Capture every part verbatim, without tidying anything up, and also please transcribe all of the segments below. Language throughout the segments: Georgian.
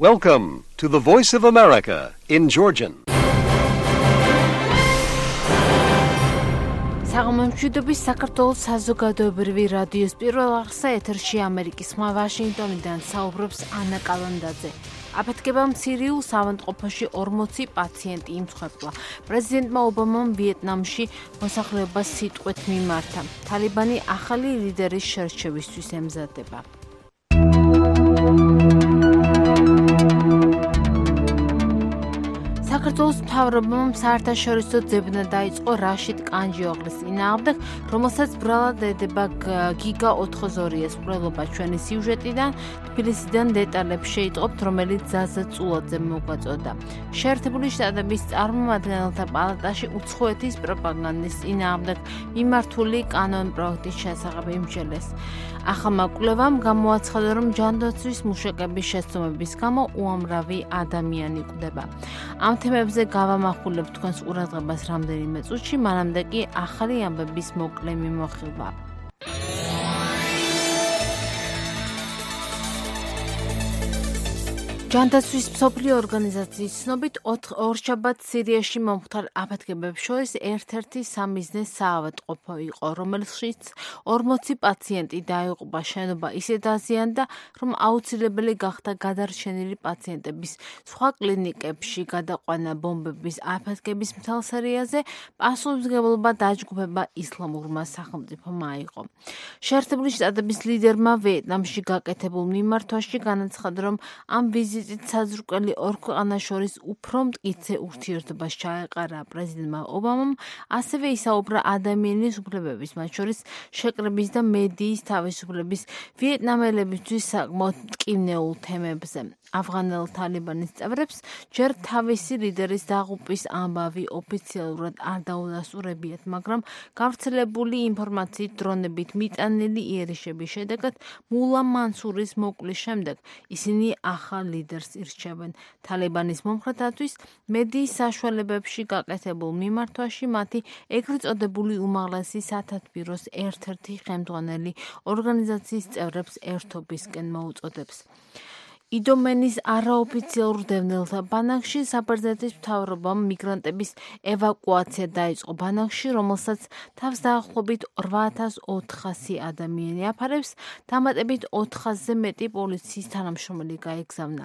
Welcome to the Voice of America in Georgian. საღამომშვიდობის საქართველოს საზოგადოებრივი რადიოს პირველ არხზე ეთერში ამერიკის ხმა ვაშინგტონიდან საუბრობს ანა კალანდაძე. აფეთქება მცირეულ საავადმყოფოში ორმოცი პაციენტი იმსხვერპლა. პრეზიდენტმა ობამამ ვიეტნამში მოსახლეობას სიტყვით მიმართა. თალიბანი ახალი ლიდერის შერჩევისთვის ემზადება. საქართველოს მთავრობამ საერთაშორისო ძებნა დაიწყო რაშიდ კანჯიოღლის წინააღმდეგ, რომელსაც ბრალად ედება გიგა ოთხოზორიას მკვლელობა. ჩვენი სიუჟეტიდან თბილისიდან დეტალებს შეიტყობთ, რომელიც ზაზა წულაძე მოგვაწოდა. შეერთებული შტატების წარმომადგენელთა პალატაში უცხოეთის პროპაგანდის წინააღმდეგ მიმართული კანონპროექტის შესახებ იმსჯელეს. ახალმა კვლევამ გამოაცხადა, რომ ჯანდაცვის მუშაკების შეცდომების გამო უამრავი ადამიანი კვდება. ამ თემებზე გავამახვილებ თქვენს ყურადღებას რამდენიმე წუთში, მანამდე კი ახალი ამბების მოკლე მიმოხილვა. ჯანდაცვის მსოფლიო ორგანიზაციის ცნობით ორშაბათს სირიაში მომხდარ აფეთქებებს შორის ერთ-ერთი სამიზნე საავადმყოფო იყო, რომელშიც ორმოცი პაციენტი დაიღუპა. შენობა ისე დაზიანდა, რომ აუცილებელი გახდა გადარჩენილი პაციენტების სხვა კლინიკებში გადაყვანა. ბომბების აფეთქების მთელ სერიაზე პასუხისმგებლობა დაჯგუფება ისლამურმა სახელმწიფომ აიღო. შეერთებული შტატების ლიდერმა ვიეტნამში გაკეთებულ მიმართვაში განაცხადა, რომ ამ ვიზიტით საზრუკელი ორ ქვეყანას შორის უფრო მტკიცე ურთიერთობას ჩაეყარა. პრეზიდენტმა ობამამ ასევე ისაუბრა ადამიანის უფლებების, მათ შორის შეკრების და მედიის თავისუფლების ვიეტნამელებისთვის საკმაოდ მტკივნეულ თემებზე. ავღანელ თალიბანის წევრებს ჯერ თავისი ლიდერის დაღუპვის ამბავი ოფიციალურად არ დაუდასტურებიათ, მაგრამ გავრცელებული ინფორმაციით დრონებით მიტანილი იერიშების შედეგად მულა მანსურის მოკვლის შემდეგ ისინი ახალ ლიდერს ირჩევენ. თალიბანის მომხრეთათვის მედიის საშუალებებში გაკეთებულ მიმართვაში მათი ეგრეთ წოდებული უმაღლესი სათათბიროს ერთ-ერთი ხელმძღვანელი ორგანიზაციის წევრებს ერთობისკენ მოუწოდებს. იდომენის არაოფიციალურ დევნილთა ბანაკში საბერძნეთის მთავრობამ მიგრანტების ევაკუაცია დაიწყო. ბანაკში, რომელსაც თავს დაახლოებით რვა ათას ოთხასი ადამიანი აფარებს, დამატებით ოთხასზე მეტი პოლიციის თანამშრომელი გაეგზავნა.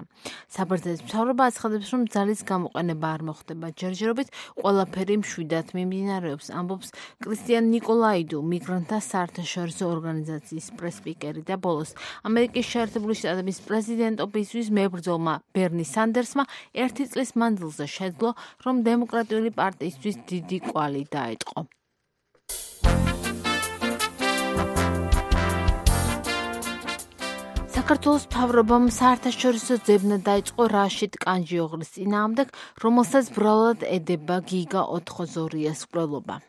საბერძნეთის მთავრობა აცხადებს, რომ ძალის გამოყენება არ მოხდება. ჯერჯერობით ყველაფერი მშვიდად მიმდინარეობს, ამბობს კრისტიან ნიკოლაიდუ, მიგრანტთა საერთაშორისო ორგანიზაციის პრესპიკერი და ბოლოს ამერიკის შეერთებული შტატების პრეზიდენტობის ისთვის მებრძოლმა ბერნი სანდერსმა ერთი წლის მანძილზე შეძლო, რომ დემოკრატიული პარტიისთვის დიდი კვალი დაეტყო. საქართველოს მთავრობამ საერთაშორისო ძებნა დაიწყო რაშიდ კანჯიოღლის წინააღმდეგ, რომელსაც ბრალად ედება გიგა ოთხოზორიას მკვლელობა.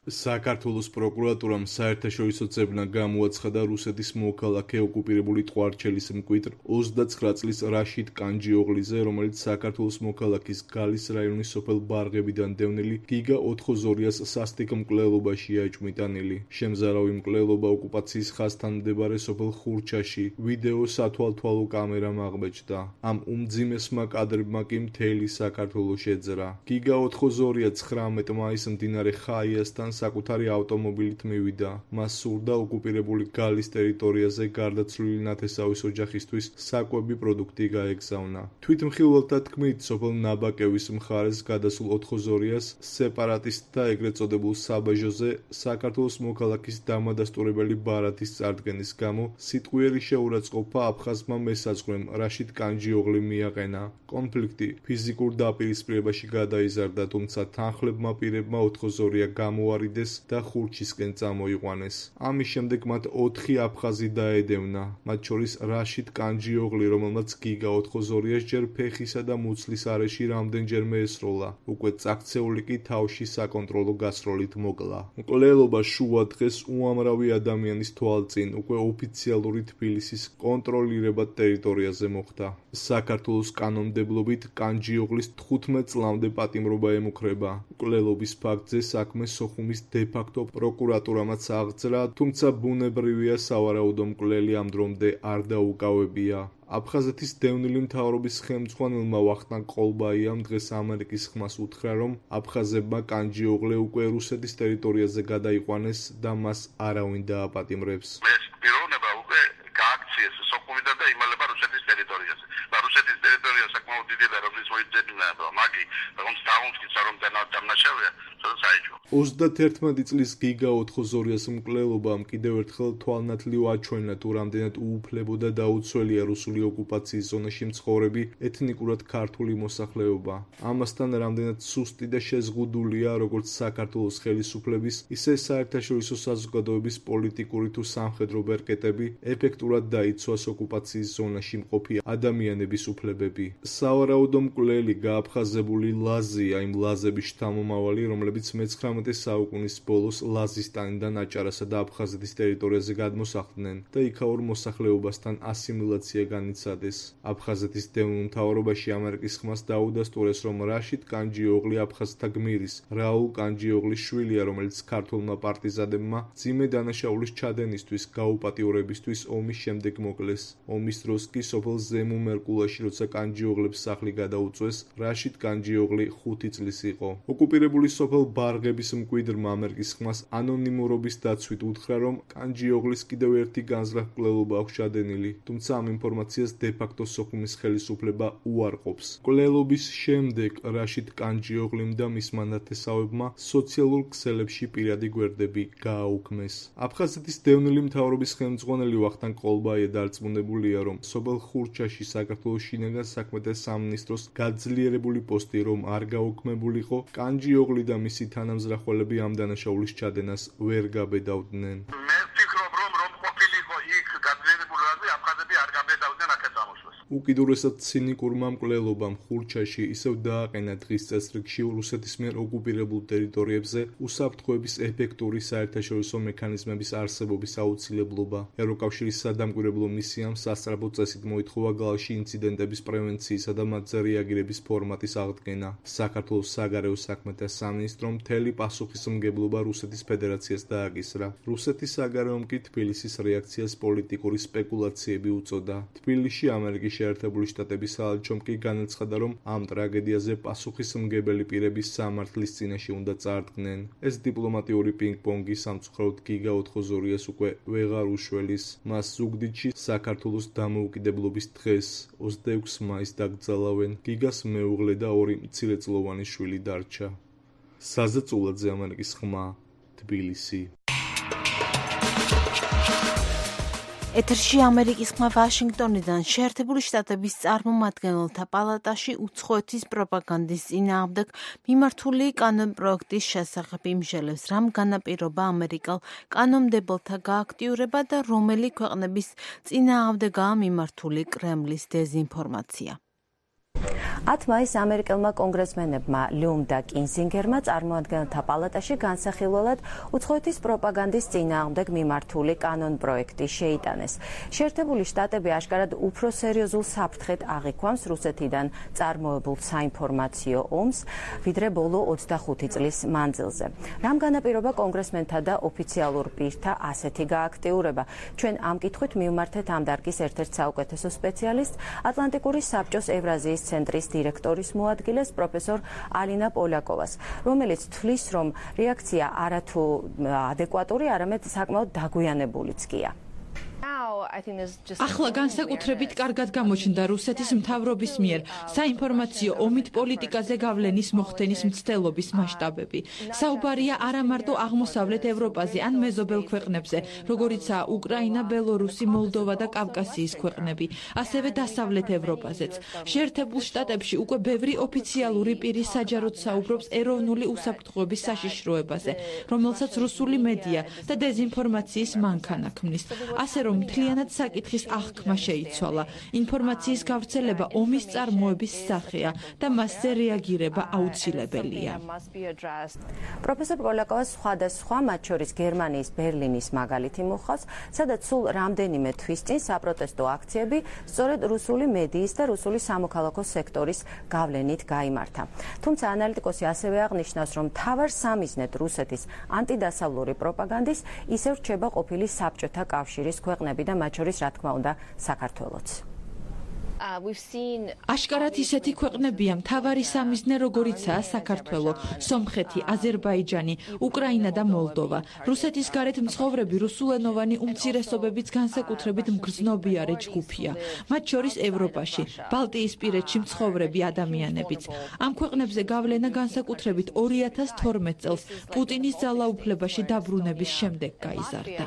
საქართველოს პროკურატურამ საერთაშორისო ძებნა გამოაცხადა რუსეთის მოქალაქე ოკუპირებული ტყვარჩელის მკვიდრ ოცდაცხრა წლის რაშიდ კანჯიოღლიზე, რომელიც საქართველოს მოქალაქის გალის რაიონის სოფელ ბარღებიდან დევნილი გიგა ოთხოზორიას სასტიკ მკვლელობაშია ეჭვმიტანილი. შემზარავი მკვლელობა ოკუპაციის ხაზთან მდებარე სოფელ ხურჩაში ვიდეო სათვალთვალო კამერამ აღბეჭდა. ამ უმძიმესმა კადრებმა კი მთელი საქართველოს შეძრა. გიგა ოთხოზორია ცხრამეტ მაისს მდინარე ხაიასთან საკუთარი ავტომობილით მივიდა. მას სურდა ოკუპირებული გალის ტერიტორიაზე გარდაცვლილი ნათესავის ოჯახისთვის საკვები პროდუქტი გაეგზავნა. თვითმხილველთა თქმით, სოფელ ნაბაკევის მხარეს გადასულ ოთხოზორიას სეპარატისტთა ეგრეთ წოდებულ საბაჟოზე საქართველოს მოქალაქის დამადასტურებელი ბარათის წარდგენის გამო სიტყვიერი შეურაცხყოფა აფხაზმა მესაზღვრემ რაშიდ კანჯიოღლი მიაყენა. კონფლიქტი ფიზიკურ დაპირისპირებაში გადაიზარდა, თუმცა თანხლებმა პირებმა ოთხოზორია გამოარიდეს და ხურჩისკენ წამოიყვანეს. ამის შემდეგ მათ ოთხი აფხაზი დაედევნა, მათ შორის რაშიდ კანჯიოღლი, რომელმაც გიგა ოთხოზორიას ჯერ ფეხისა და მუცლის არეში რამდენჯერმე ესროლა. უკვე წაქცეული კი თავში საკონტროლო გასროლით მოკლა. მკვლელობა შუა დღეს უამრავი ადამიანის თვალწინ უკვე ოფიციალური თბილისის კონტროლირებად ტერიტორიაზე მოხდა. საქართველოს კანონმდებლობით კანჯიოღლის თხუთმეტ წლამდე პატიმრობა ემუქრება. მკვლელობის ფაქტზე საქმე სოხუმ ომის დე-ფაქტო პროკურატურამაც აღძრა, თუმცა ბუნებრივია სავარაუდო მკვლელი ამ დრომდე არ დაუკავებია. აფხაზეთის დევნილი მთავრობის ხელმძღვანელმა ვახტანგ ყოლბაიამ დღეს ამერიკის ხმას უთხრა, რომ აფხაზებმა კანჯიოღლე უკვე რუსეთის ტერიტორიაზე გადაიყვანეს და მას არავინ დააპატიმრებს. ეს პიროვნება უკვე გააქციეს სოხუმიდან და იმალება რუსეთის ტერიტორიაზე. და რუსეთის ტერიტორია საკმაოდ დიდია და რომლის მოიძებნა, მაგი, რომელიც დაუნსკიცა რომ დამნაშავეა, სადაც აიჭო. ოცდაათერთმეტი წლის გიგა ოთხოზორიას მკვლელობამ კიდევ ერთხელ თვალნათლივ აჩვენა, თუ რამდენად უუფლებო და დაუცველია რუსული ოკუპაციის ზონაში მცხოვრები ეთნიკურად ქართული მოსახლეობა. ამასთან რამდენად სუსტი და შეზღუდულია როგორც საქართველოს ხელისუფლების, ისე საერთაშორისო საზოგადოების პოლიტიკური თუ სამხედრო ბერკეტები, ეფექტურად დაიცვას ოკუპაციის ზონაში მყოფი ადამიანების უფლებები. სავარაუდო მკვლელი გააფხაზებული ლაზია იმ ლაზების შთამომავალი, რომლებიც მეცხრამეტე საუკუნის ბოლოს ლაზისტანიდან აჭარასა და აფხაზეთის ტერიტორიაზე გადმოსახლდნენ და იქაურ მოსახლეობასთან ასიმილაცია განიცადეს. აფხაზეთის დევნილ მთავრობაში ამერიკის ხმას დაუდასტურეს, რომ რაშიდ კანჯიოღლი აფხაზთა გმირის რაულ კანჯიოღლის შვილია, რომელიც ქართველმა პარტიზანებმა მძიმე დანაშაულის ჩადენისთვის გაუპატიურებისთვის ომის შემდეგ მოკლეს. ომის დროს კი სოფელ ზემო მერკულაში, როცა კანჯიოღლებს სახლი გადაუწვეს, რაშიდ კანჯიოღლი ხუთი წლის იყო. ოკუპირებული სოფელ ბარღების მკვიდრმა ამერიკის ხმას ანონიმურობის დაცვით უთხრა, რომ კანჯიოღლის კიდევ ერთი განზრახ მკვლელობა აქვს ჩადენილი, თუმცა ამ ინფორმაციას დე-ფაქტო სოხუმის ხელისუფლება უარყოფს. მკვლელობის შემდეგ რაშიდ კანჯიოღლიმ და მისმა ნათესავებმა სოციალურ ქსელებში პირადი გვერდები გააუქმეს. აფხაზეთის დევნილი მთავრობის ხელმძღვანელი ვახტანგ ყოლბაია დარწმუნებულია, რომ სოფელ ხურჩაში საქართველოს შინაგან საქმეთა სამინისტროს გაძლიერებული პოსტი რომ არ გაუქმებულიყო, კანჯიოღლი და მისი თანამზრახველები ამ დანაშაულის ჩადენას ვერ გაბედავდნენ. მე ვფიქრობ, რომ რომ ყოფილიყო იქ გაძლიერებული რაზმი, აფხაზები არ გაბედავდნენ აქეთ წამოსვლას. უკიდურესად ცინიკურმა მკვლელობამ ხურჩაში ისევ დააყენა დღის წესრიგში რუსეთის მიერ ოკუპირებულ ტერიტორიებზე უსაფრთხოების ეფექტური საერთაშორისო მექანიზმების არსებობის აუცილებლობა. ევროკავშირის სადამკვირვებლო მისიამ სასწრაფო წესით მოითხოვა გალში ინციდენტების პრევენციისა და მათზე რეაგირების ფორმატის აღდგენა. საქართველოს საგარეო საქმეთა სამინისტრომ მთელი პასუხისმგებლობა რუსეთის ფედერაციას დააკისრა. რუსეთის საგარეომ კი თბილისის რეაქციას პოლიტიკური სპეკულაციები უწოდა. თბილისში ამერიკის შეერთებული შტატების საელჩომ კი განაცხადა, რომ ამ ტრაგედიაზე პასუხისმგებელი პირები სამართლის წინაშე უნდა წარდგნენ. ეს დიპლომატიური პინგ-პონგი სამწუხაროდ გიგა ოთხოზორიას უკვე ვეღარ უშველის. მას ზუგდიდში საქართველოს დამოუკიდებლობის დღეს ოცდაექვსი მაისს დაკრძალავენ. გიგას მეუღლე და ორი მცირეწლოვანი შვილი დარჩა. საზა წულაძე, ამერიკის ხმა, თბილისი. ეთერში ამერიკის ხმა ვაშინგტონიდან. შეერთებული შტატების წარმომადგენელთა პალატაში უცხოეთის პროპაგანდის წინააღმდეგ მიმართული კანონპროექტის შესახებ იმჟელებს, რამ განაპირობა ამერიკელ კანონმდებელთა გააქტიურება და რომელი ქვეყნების წინააღმდეგაა მიმართული კრემლის დეზინფორმაცია. ათ მაისს ამერიკელმა კონგრესმენებმა ლიუმ და კინზინგერმა წარმოადგენელთა პალატაში განსახილველად უცხოეთის პროპაგანდის წინააღმდეგ მიმართული კანონპროექტი შეიტანეს. შეერთებული შტატები აშკარად უფრო სერიოზულ საფრთხედ აღიქვამს რუსეთიდან წარმოებულ საინფორმაციო ომს, ვიდრე ბოლო ოცდახუთი წლის მანძილზე. რამ განაპირობა კონგრესმენთა და ოფიციალურ პირთა ასეთი გააქტიურება? ჩვენ ამ კითხვით მივმართეთ ამ დარგის ერთ-ერთ საუკეთესო სპეციალისტს, ატლანტიკური საბჭოს ევრაზიის ცენტრის დირექტორის მოადგილეს პროფესორ ალინა პოლაკოვას, რომელიც თვლის, რომ რეაქცია არათუ ადეკვატური, არამედ საკმაოდ დაგვიანებულიც კია. ახლა განსაკუთრებით კარგად გამოჩნდა რუსეთის მთავრობის მიერ საინფორმაციო ომით პოლიტიკაზე გავლენის მოხდენის მცდელობის მასშტაბები. საუბარია არა მარტო აღმოსავლეთ ევროპაზე ან მეზობელ ქვეყნებზე, როგორიცაა უკრაინა, ბელორუსი, მოლდოვა და კავკასიის ქვეყნები, ასევე დასავლეთ ევროპაზეც. შეერთებულ შტატებში უკვე ბევრი ოფიციალური პირი საჯაროდ საუბრობს ეროვნული უსაფრთხოების საშიშროებაზე, რომელსაც რუსული მედია და დეზინფორმაციის მანქანა ქმნის. ასე რომ მთლიანად საკითხის აღქმა შეიცვალა. ინფორმაციის გავრცელება ომის წარმოების სახეა და მასზე რეაგირება აუცილებელია. პროფესორ პოლაკოვას სხვადასხვა, მათ შორის გერმანიის ბერლინის მაგალითი მოხავს, სადაც სულ რამდენიმე თვის წინ საპროტესტო აქციები სწორედ რუსული მედიის და რუსული სამოქალაქო სექტორის გავლენით გაიმართა. თუმცა ანალიტიკოსი ასევე აღნიშნავს, რომ მთავარ სამიზნედ რუსეთის ანტიდასავლური პროპაგანდის ისევ რჩება ყოფილი საბჭოთა კავშირის ქვეყნები და მათ შორის, რა თქმა უნდა, საქართველოც. აშკარად ისეთი ქვეყნებია მთავარი სამიზნე, როგორიცაა საქართველო, სომხეთი, აზერბაიჯანი, უკრაინა და მოლდოვა. რუსეთის გარეთ მცხოვრები რუსულენოვანი უმცირესობებიც განსაკუთრებით მგრძნობიარე ჯგუფია, მათ შორის ევროპაში, ბალტიისპირეთში მცხოვრები ადამიანებიც. ამ ქვეყნებზე გავლენა განსაკუთრებით ორი ათას თორმეტ წელს პუტინის ძალაუფლებაში დაბრუნების შემდეგ გაიზარდა.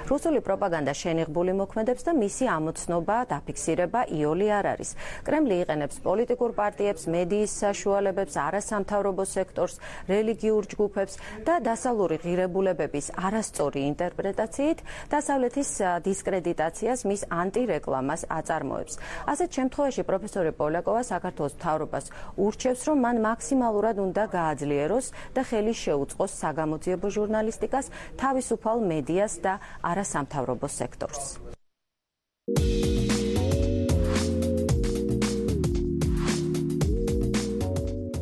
რუსული პროპაგანდა შენიღბული მოქმედებს და მისი ამოცნობა ფიქსირება იოლი არ არის. კრემლი იყენებს პოლიტიკურ პარტიებს, მედიის საშუალებებს, არასამთავრობო სექტორს, რელიგიურ ჯგუფებს და დასავლური ღირებულებების არასწორი ინტერპრეტაციით დასავლეთის დისკრედიტაციას, მის ანტირეკლამას აწარმოებს. ასეთ შემთხვევაში პროფესორი პოლაკოვა საქართველოს მთავრობას ურჩევს, რომ მან მაქსიმალურად უნდა გააძლიეროს და ხელი შეუწყოს საგამოძიებო ჟურნალისტიკას, თავისუფალ მედიას და არასამთავრობო სექტორს.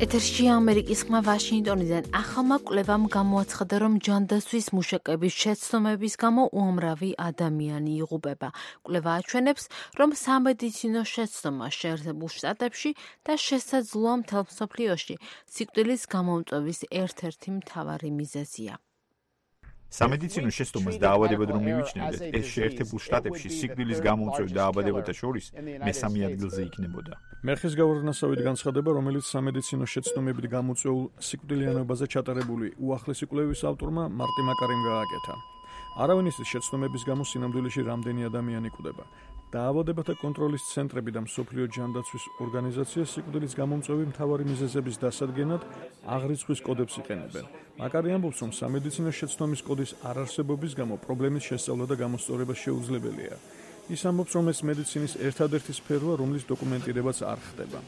ეთერში ამერიკის ხმა ვაშინგტონიდან ახალმა კვლევამ გამოაცხადა, რომ ჯანდაცვის მუშაკების შეცდომების გამო უამრავი ადამიანი იღუპება. კვლევა აჩვენებს, რომ სამედიცინო შეცდომა შეერთებულ შტატებში და შესაძლოა მთელ მსოფლიოში სიკვდილის გამომწვევის ერთ-ერთი მთავარი მიზეზია. სამედიცინო შეცდომას დაავადებად რომ მივიჩნევდეთ, ეს შეერთებულ შტატებში სიკვდილის გამომწვევ დაავადებათა შორის მესამე ადგილზე იქნებოდა. მერხის გავარდნასავით განცხადება, რომელიც სამედიცინო შეცდომებით გამოწვეულ სიკვდილიანობაზე ჩატარებული უახლესი კვლევის ავტორმა მარტი მაკარიმ გააკეთა. არავინ იცის შეცდომების გამო სინამდვილეში რამდენი ადამიანი კვდება. დაავადებათა კონტროლის ცენტრები და მსოფლიო ჯანდაცვის ორგანიზაცია სიკვდილის გამომწვევი მთავარი მიზეზების დასადგენად აღრიცხვის კოდებს იყენებენ. მაკარი ამბობს, რომ სამედიცინო შეცდომის კოდის არარსებობის გამო პრობლემის შესწავლა და გამოსწორება შეუძლებელია. ის ამბობს, რომ ეს მედიცინის ერთადერთი სფეროა, რომლის დოკუმენტირებაც არ ხდება.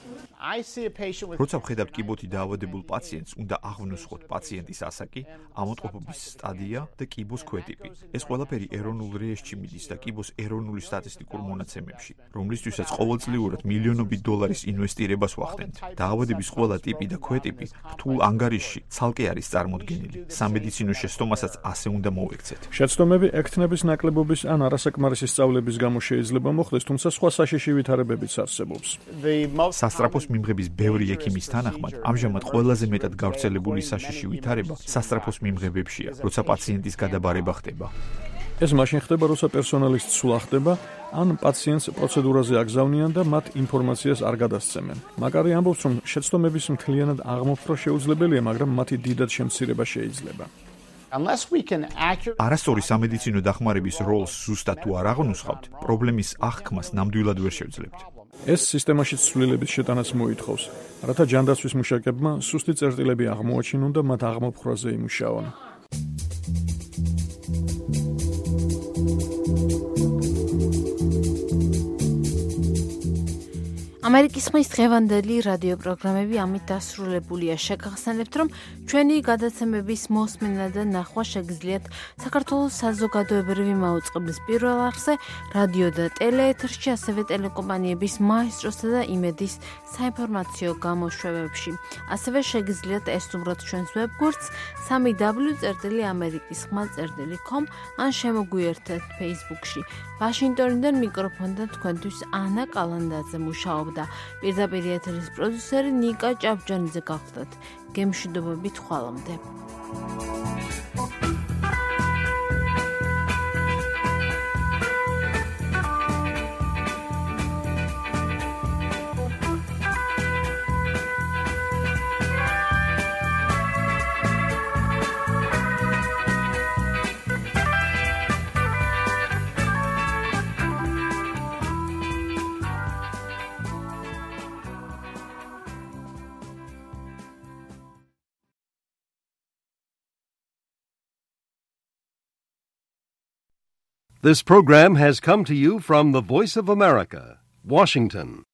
როცა ვხედავთ კიბოთი დაავადებულ პაციენტს, უნდა აღვნიშნოთ პაციენტის ასაკი, ამოტყოფობის სტადია და კიბოს ქვეტიპი. ეს ყველაფერი ეროვნულ რეესტრში მიდის და კიბოს ეროვნული სტატისტიკურ მონაცემებში, რომლისთვისაც ყოველწლიურად მილიონობით დოლარის ინვესტირებას ვახდენთ. დაავადების ყველა ტიპი და ქვეტიპი რთულ ანგარიშში ცალკე არის წარმოდგენილი. სამედიცინო შეცდომასაც ასე უნდა მოვექცეთ. შეცდომები ექთნების ნაკლებობის ან არასაკმარისი სწავლების გამო შეიძლება მოხდეს, თუმცა სხვა საშიში ვითარებებიც არსებობს. სასწრაფოს მიმღების ბევრი ექიმის თანახმად, ამჟამად ყველაზე მეტად გავრცელებული საშიში ვითარება სასწრაფოს მიმღებებშია, როცა პაციენტის გადაბარება ხდება. ეს მაშინ ხდება, როცა პერსონალის ცვლა ხდება, ან პაციენტს პროცედურაზე აგზავნიან და მათ ინფორმაციას არ გადასცემენ. მაკარი ამბობს, რომ შეცდომების მთლიანად აღმოფხვრა შეუძლებელია, მაგრამ მათი დიდად შემცირება შეიძლება. არასწორი სამედიცინო დახმარების როლს ზუსტად თუ არ აღნუსხავთ, პრობლემის აღქმას ნამდვილად ვერ შევძლებთ. ეს სისტემაში ცვლილების შეტანას მოითხოვს, რათა ჯანდაცვის მუშაკებმა სუსტი წერტილები აღმოაჩინონ და მათ აღმოფხვრაზე იმუშაონ. ამერიკის ხმის დღევანდელი რადიო პროგრამები ამით დასრულებულია. შეგახსენებთ, რომ ჩვენი გადაცემების მოსმენა და ნახვა შეგიძლიათ საქართველოს საზოგადოებრივი მაუწყებლის პირველ არხზე, რადიო და ტელეეთერში, ასევე ტელეკომპანიების მაესტროსა და იმედის საინფორმაციო გამოშვებებში. ასევე შეგიძლიათ ესტუმროთ ჩვენს ვებგვერდს სამი დაბლიუ წერტილი ამერიკის ხმა წერტილი კომ ან შემოგვიერთეთ Facebook-ში. ვაშინგტონიდან მიკროფონთან თქვენთვის ანა კალანდაძე მუშაობდა. პირდაპირ ეთერის პროდიუსერი ნიკა ჭავჭანიძე გახლდათ. გემშვიდობებით ხვალამდე. This program has come to you from the Voice of America, Washington.